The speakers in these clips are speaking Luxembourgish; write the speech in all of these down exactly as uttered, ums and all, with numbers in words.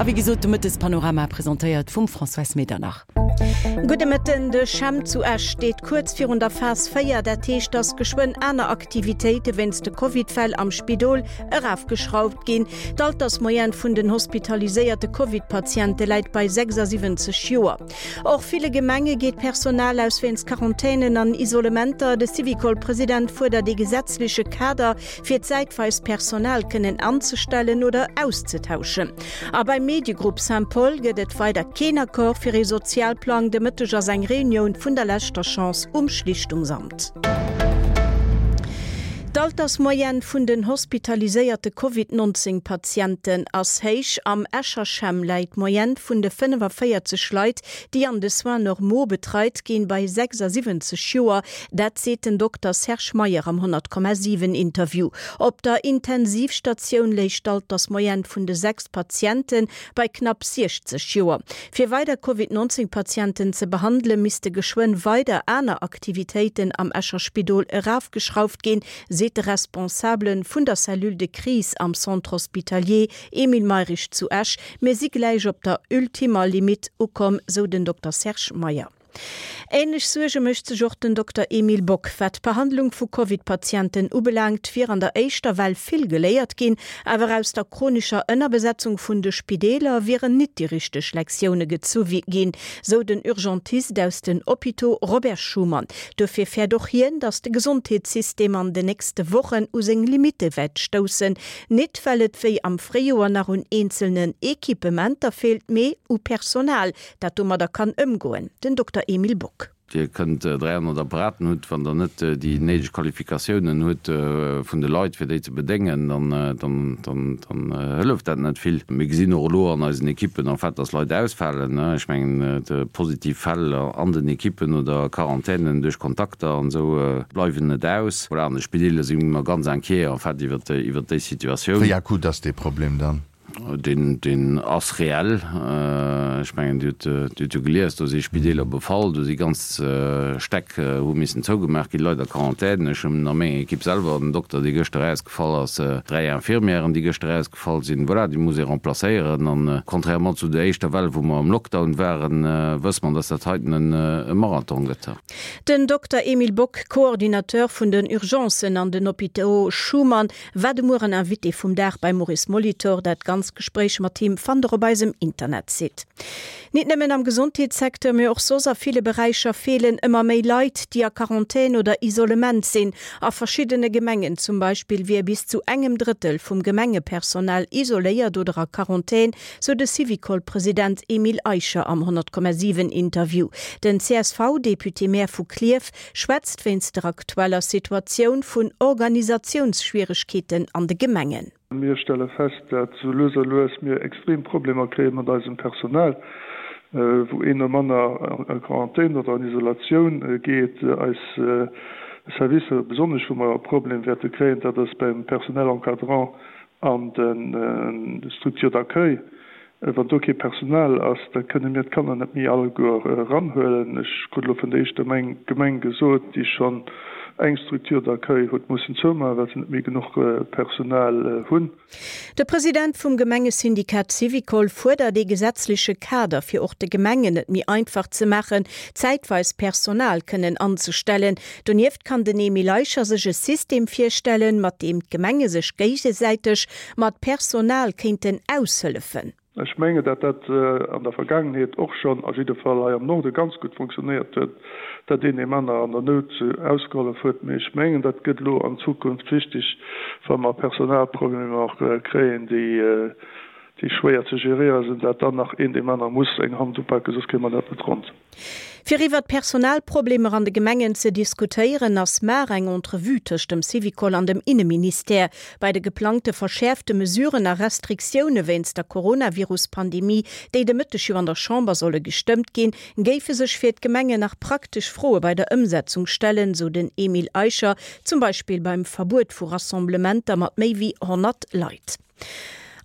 A wéi gesot, de Mëttespanorama presentéiert vum Françoise Medernach. Gudde Mëtten, De CHEM zu Esch steet kuerz virun der Phas véier, dat heescht, datt geschwënn aner Aktivitéite wéinst de Covid-Fäll am Spidol erafgeschrauft ginn. D'Altersmoyenne vun den hospitaliséierte Covid-Patiente läit bei sechsasiwwenzeg Joer. Och ville Gemenge geet d'Personal aus wéinst Quarantänen an Isolementer. De Syvicol-President fuerdert ee gesetzleche Kader, fir zäitweis Personal kënnen anzestellen oder auszetauschen. A beim Mediegrupp Saint-Paul gëtt et weider keen Accord fir ee Sozialplang. De Mëtteg ass eng Reunioun vun der leschter Chance um Schlichtungsamt. D'Altersmoyenne vun den hospitaliséierte Covid nonzéng Patienten ass héich. Am Escher CHEM läit d'Moyenne vun de fënnefaféierzeg Leit, déi an de Soins normaux betreit ginn, bei sechsasiwwenzeg Joer. Dat seet den Dokter Serge Meyer am honnert Komma siwen Interview. Op der Intensivstatioun léich d'Altersmoyenne vun de sechs Patiente bei knapp siechzeg Joer. Fir weider Covid nonzéng Patienten ze behandelen, misste geschwënn weider aner Aktivitéiten am Escher Spidol erafgeschrauft ginn, seet de Responsabele vun der Cellule de crise am Centre hospitalier Emile Mayrisch zu Esch. Mir si gläich op der ultimer Limitt ukomm, sou den Dokter Serge Meyer. Änlech Suerge mécht sech och den Dokter Emile Bock. Wat d'Behandlung vu Covid-Patienten ubelaangt, wier an der éischter Well vill geléiert ginn, awer aus der chronischer Ënnerbesetzung vun de Spideeler wieren nit déi richteg Lektioune gezu ginn, sou den Urgentist aus den Hôpitaux Robert Schuman. Dofir fäert och hien, datt de Gesondheetssystem an den nächste Wochen u seng Limitte wäert stoussen, nit well et wéi am Fréijoer nach un eenzelnen Equipementer feelt, mee u Personal, dat domadder kann ëmgoen. Den Dokter Emile Bock. Dir kënnt dräihonnert Apparaten hutt, wann Der net déi néideg Qualifikatiounen hutt vun de Leit, fir déi ze bedéngen, dann, dann, dann, dann hëlleft dat net vill. Mir gesinn och elo an eisen Ekippen en fait, dass Leit ausfalen. Ech mengen, positiv Fäll an den Ekippen oder Quarantänen duerch Kontakter an esou bleiwen net aus. Voilà, an de Spideeler si mer ganz inquiet en fait iwwert, iwwert déi Situatioun. Wéi akut ass dee Problem dann? Deen, deen ass reell. Ech mengen, Dir hutt, Dir hutt jo gelies, do si Spideeler befall, do si ganz Stäck hu missen zougemaach ginn, Leit a Quarantän. Ech hunn a menger Ekipp selwer en Dokter, dee gëschter erausgefall ass, dräi Infirmièren, déi gëschter erausgefall sinn. Voilà, déi muss ee remplacéieren. An contrairement zu der éischter Well, wou mer am Lockdown waren, wësse mer, dass dat heiten en e Marathon gëtt. Den Dokter Emile Bock, Coordinateur vun den Urgencen an den Hôpitaux Schuman, war de Mueren Invité vum Dag beim Maurice Molitor. Dat ganzt Gespréich mat him fannt der op eisem Internetsite. Nit nëmmen am Gesondheetssecteur, mee och soss a ville Beräicher feelen ëmmer méi Leit, déi a Quarantän oder Isolement sinn. A verschiddene Gemengen zum Beispill wier bis zu engem Drëttel vum Gemengepersonal isoléiert oder a Quarantän, sou de Syvicol-President Emile Eicher am honnert Komma siwen Interview. Den C S V-Député-Maire vu Klierf schwätzt wéinst der aktueller Situatioun vun Organisatiounsschwieregkeeten an de Gemengen. Mir stelle fest, dat sou lues a lues mir extrem Problemer kréie mat eisem Personal, wou een nom aner a Quarantän oder an Isolatioun geet. Eis Servicer, besonnesch wou mer e Problem wäerte kréien, dat ass beim Personnel encadrant an de Structures d'accueil. Wann do kee Personal ass, da kënne mir d'Kanner net méi alleguer eranhuelen. Ech krut elo vun der éischter Gemeng gesot, déi schonn eng Structure d'accueil huet mussen zoumaachen, well se net méi genuch Personal hunn. De President vum Gemengesyndikat Syvicol fuerdert ee gesetzleche Kader, fir och de Gemengen et méi einfach ze maachen, zäitweis Personal kënnen anzestellen. Donieft kann den Emile Eicher sech e System virstellen, mat deem d'Gemenge sech géigesäiteg mat Personal kéinten aushëllefen. Ech mengen, datt dat an der Vergaangenheet och schonn, a jidde Fall hei am Norde, ganz gutt funktionéiert huet, datt een deem aner an der Nout ausgehollef huet. Mee ech mengen, dat gëtt elo an Zukunft wichteg, wa mer Personalproblemer kréien, déi schwéier ze geréiere sinn, datt dann nach een deem aner muss eng Hand upaken, soss kréie mer dat net ronn. Fir iwwert d'Personalproblemer an de Gemengen ze diskutéieren, ass mar eng Entrevue tëscht dem Syvicol an dem Inneministère. Bei de geplangte verschäerfte Mesuren a Restriktioune wéinst der Coronavirus-Pandemie, déi de Mëtteg jo an der Chamber solle gestëmmt ginn, géife sech fir d'Gemengen nach praktesch Froe bei der Ëmsetzung stellen, sou den Emile Eicher, zum Beispill beim Verbuet vu Rassemblementer mat méi wéi honnert Leit.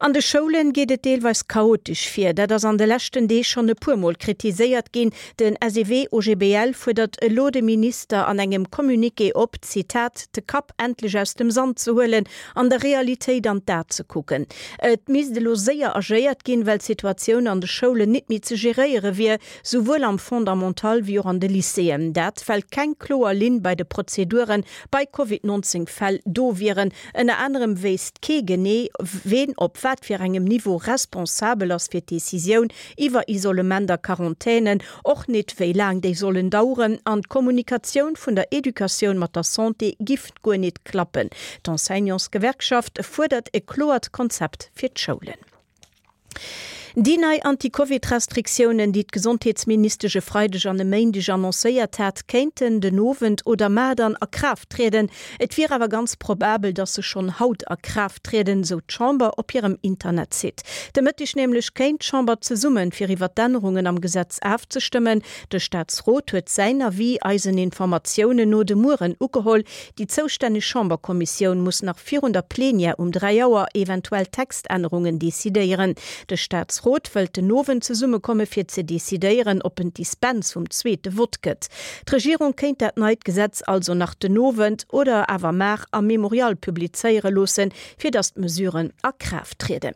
An de Schoulen geet et deelweis chaotesch vir. Dat ass an de leschten Deeg schonn e puermol kritiséiert ginn. Den SEW-OGBL fuerdert elo de Minister an engem Communiqué op, Zitat, de Kapp endlech aus dem Sand ze huelen an der Realitéit an d'A ze kucken. Et misst elo séier agéiert ginn, well d'Situatioun an de Schoulen nit méi ze geréiere wier, souwuel am Fondamental wéi och an de Lycéeën. Dat well keng kloer Linn bei de Prozeduren bei Covid nonzéng Fäll do wieren. Ënner anerem wéisst kee genee, ween op wat fir engem Niveau responsabel ass fir d'Decisioun iwwer Isolement a Quarantänen, och nit wéi laang déi sollen daueren, an d'Kommunikatioun vun der Educatioun mat der Santé giff guer nit klappen. D'Enseignantsgewerkschaft fuerdert e kloert Konzept fir d'Schoulen. Déi nei Anti-Covid-Restriktiounen, déi d'Gesondheetsministesch e Freideg an e Méindeg annoncéiert hat, kéinten den Owend oder mar dann a Kraaft trieden. Et wier awer ganz probabel, datt se schonn haut a Kraaft trieden, sou d'Chamber op hirem Internetsite. De Mëtteg nämlech kéint d'Chamber zesummen, fir iwwer d'Ännerungen am Gesetz afzestëmmen. De Staatsrot huet säin Avis eisen Informatiounen no de Mueren ugeholl. Déi zoustänneg Chamberkommissioun muss nach virun der Plenière um dräi Auer eventuell Textännerungen decidéieren. De Staatsrot wëllt den Owend zesummekomme fir ze decidéieren, ob en d'Dispens vum zweete Vott gëtt. D'Regierung kéint dat neit Gesetz also nach den Owend oder awer mar am Mémorial publizéiere loossen, fir datt d'Mesuren a Kraaft trieden.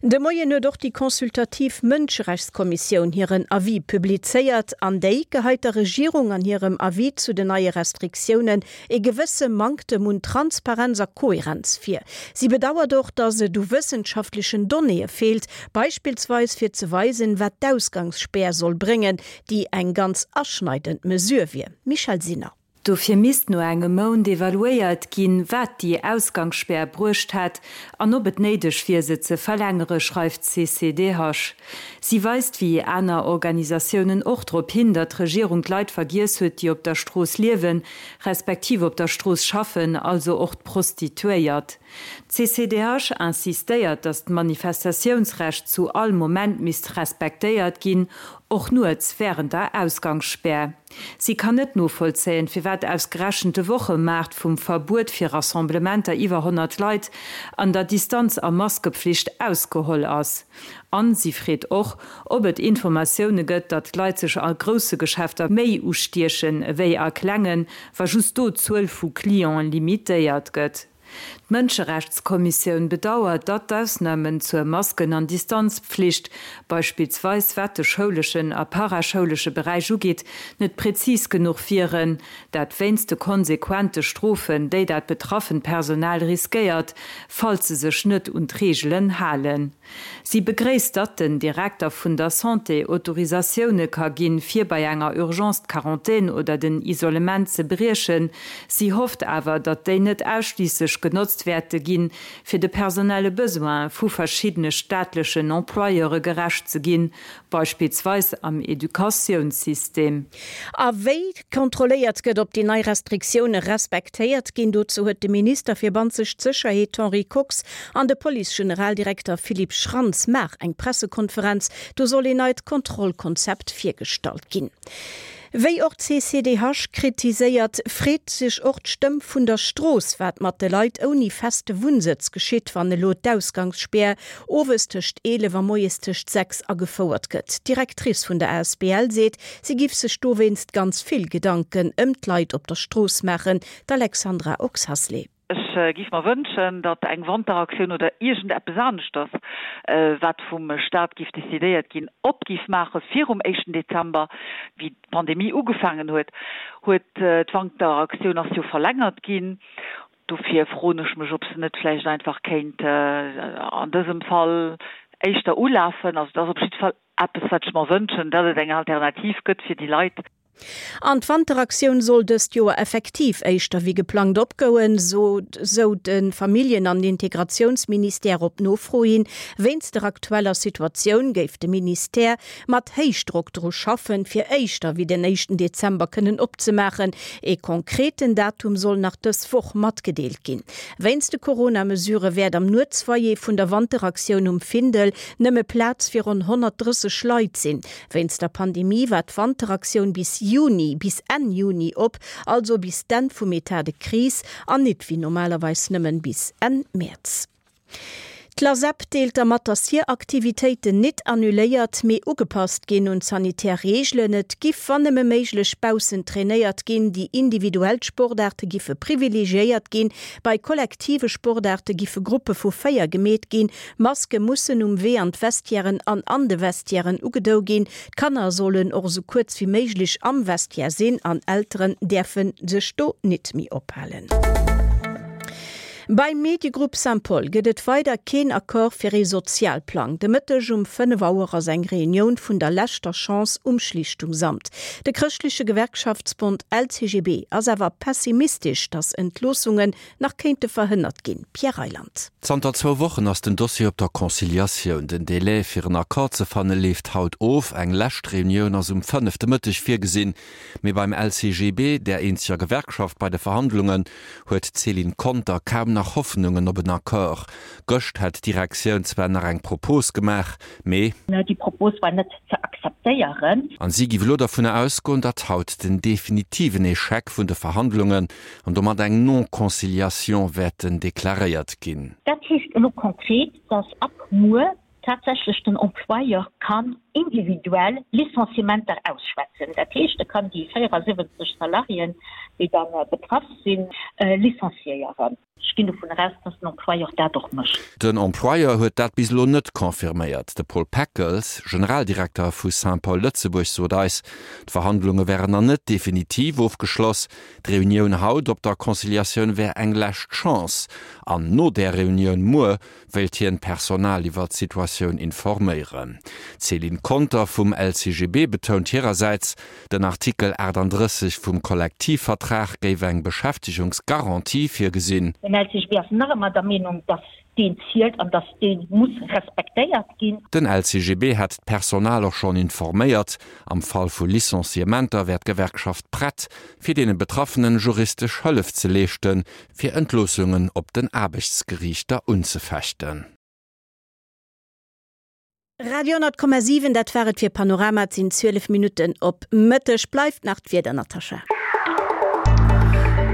De Moien huet och déi consultativ Mënscherechtskommissioun hiren Avis publizéiert. An déi geheit der Regierung an hirem Avis zu den neie Restriktiounen e gewësse Manktem un Transparenz a Kohärenz vir. Si bedauert och, datt et u wëssenschaftlechen Donnéeë feelt, beispillsweis fir ze weisen, wat d'Ausgangsspär soll bréngen, déi eng ganz aschneidend Mesure wier. Michèle Sinner. Dofir misst no engem Mount evaluéiert ginn, wat déi Ausgangsspär bruecht hätt an ob et néideg wier, se ze verlängere, schreift d'CCDH. Si weist wéi aner Organisatiounen och drop hin, datt d'Regierung d'Leit vergiess huet, déi op der Strooss liewen, respektiv op der Strooss schaffen, also och d'Prostituéiert. D'CCDH insistéiert, datt d'Manifestatiounsrecht zu all Moment misst respektéiert ginn, och nuets wärend der Ausgangsspär. Si kann net novollzéien, firwat ausgerechent de Wochemaart vum Verbuet fir Rassemblementer iwwer honnert Leit an der Distanz a Maskepflicht ausgeholl ass. An si freet och, ob et Informatioune gëtt, datt d'Leit sech a grousse Geschäfter méi ustiechen ewéi a klengen, wa just do d'Zuel vu Clienten limitéiert gëtt. D'Mënscherechtskommissioun bedauert, datt d'Ausnamen zur Masken an Distanzpflicht, beispillsweis wat de schouleschen a paraschoulesche Beräich ugeet, net präzis genuch wieren, dat wéinst de konsequente Strofen, déi dat betraffent Personal riskéiert, falls se sech net un d'Reegelen halen. Si begréisst, datt den Direkter vun der Santé Autorisatioune ka ginn, fir bei enger Urgence d'Quarantän oder den Isolement ze briechen. Si hofft awer, datt déi net ausschliisslech genotzt wäerte ginn, fir de personelle Besoine vu verschiddene staatlechen Employeure gerecht ze ginn, beispillsweis am Educatiounssystem. A wéi kontrolléiert gëtt, ob déi nei Restriktioune respektéiert ginn, dozou huet de Minister fir banzescht Sécherheet Henri Kox an de Police-Generaldirekter Philippe Schrantz mar eng Pressekonferenz. Do soll een neit Kontrollkonzept virgestallt ginn. Wéi och d'CCDH kritiséiert, freet sech och d'Stëmm vun der Strooss, wat mat de Leit ouni feste Wunnsëtz geschitt, wann elo d'Ausgangsspär owes tëscht eelef a moies tëscht sechs agefouert gëtt. D'Directrice vun der asbl seet, si giff sech dowéinst ganz vill Gedanken ëm d'Leit op der Strooss maachen. D'Alexandra Oxacelay. Ech giff mer wënschen, datt eng Wanteraktioun oder iergend eppes aneschters, wat vum Staat giff decidéiert ginn, op giff maache virum éischten Dezember. Wéi d'Pandemie ugefaangen huet, huet d'Wanteraktioun ass jo verlängert ginn. Dofir froen ech mech, ob se net vläicht einfach kéint an dësem Fall éischter ulafen. Also et ass op jidde Fall eppes, wat ech mer wënschen, datt et eng Alternativ gëtt fir déi Leit. An d'Wanteraktioun soll dëst Joer effektiv éischter wéi geplangt opgoen, sou de Familljen an Integratiounsministère op Nofro hin. Wéinst der aktueller Situatioun géif de Ministère mat Héichdrock dru schaffen, fir éischter wéi den éischten Dezember kënnen opzemaachen. Ee konkreten Datum soll nach dës Woch matgedeelt ginn. Wéinst de Corona-Mesurë wäert am Nuetsfoyer vun der Wanteraktioun um Findel nëmme Plaz fir ronn honnertdrësseg Leit sinn. Wéinst der Pandemie war d'Wanteraktioun bis Juni, bis Enn Juni op, also bis d'Enn vum Etat de crise an nit wéi normalerweis nëmmen bis Enn Mäerz. D'Lasep deelt da mat, datt hir Aktivitéiten nit annuléiert, mee ugepasst ginn un d'sanitär Reegelen. Et giff wann nëmme méiglech baussen trainéiert ginn, déi individuell Sportaarte giffe privilegiéiert ginn, bei kollektive Sportaarte giffe Gruppe vu véier gemeet ginn, Maske mussen um Wee an d'Vestiairen an an de Vestiairen ugedou ginn, d'Kanner sollen och esou kuerz wéi méiglech am Vestiaire sinn an Elteren däerfe sech do nit méi ophalen. Beim Mediegrupp Saint-Paul gëtt et weider keen Accord fir ee Sozialplang. De Mëtteg um fënnef Auer ass eng Reunioun vun der leschter Chance um Schlichtungsamt. De chrëschtleche Gewerkschaftsbond LCGB ass awer pessimistesch, datt Entloossungen nach kéinte verhënnert ginn. Pierre Reyland. Zanter zwou Wochen ass den Dossier op der Conciliatioun. Den Delai fir en Accord ze fanne leeft haut of. Eng lescht Reunioun ass um fënnef de Mëtteg virgesinn. Mee beim LCGB, där eenzeger Gewerkschaft bei de Verhandlungen, huet d'Céline Conter kaum nach Hoffnungen op en Accord. Gëscht hätt d'Direktioun zwar nach eng Propos gemaach, mee. Déi Propos war net ze akzeptéieren. An si giff elo dovunner ausgoen, datt haut den definitiven Echec vun de Verhandlungen an domat eng Non-Conciliation wäerten deklaréiert ginn. Dat heescht elo konkret, datt ab muer tatsächlech den Employeur kann individuell Licenciementer ausschwätzen. Dat heescht, e kann déi véierasiwwenzeg Salariéen, déi da betraff sinn, licenciéieren. Ech ginn dovun eraus, dass den Employeur dat och mécht. Den Employeur huet dat bis elo net confirméiert. De Paul Peckels, Generaldirekter vu Saint-Paul Lëtzebuerg, sot eis, d'Verhandlunge wären nach net definitiv ofgeschloss. D'Reunioun haut op der Conciliatioun wär eng lescht Chance. An no där Reunioun muer wéilt hien d'Personal iwwer d'Situatioun informéieren. D'Céline Conter vum L C G B betount hirersäits, den Artikel achtandrësseg vum Kollektivvertrag géif eng Beschäftegungsgarantie virgesinn. Den L C G B ass nach ëmmer der Meenung, datt deen zielt an datt dee muss respektéiert ginn. Den L C G B hätt d'Personal och schonn informéiert. Am Fall vu Licenciementer wär d'Gewerkschaft prett, fir deene Betraffenen juristesch Hëllef ze leeschten, fir Entloossungen op den Aarbechtsgeriichter unzefechten. Radio honnert Komma siwen, dat war et fir Panorama. Et sinn zwielef Minutten op Mëtteg. Bleift nach d'Wieder, Natascha.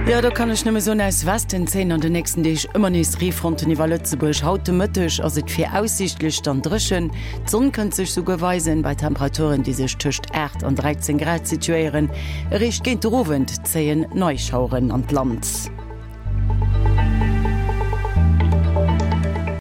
Jo, do kann ech nëmme soen, aus Westen zéien an den nächsten Deeg ëmmer nees Reefronten iwwer Lëtzebuerg. Haut de Mëtteg ass et viraussiichtlech dann dréchen, d'Sonn kënnt sech souguer weisen, bei Temperaturen, déi sech tëscht aacht an dräizéng Grad situéieren. Eréischt géint de Owend zéien nei Schaueren an d'Land.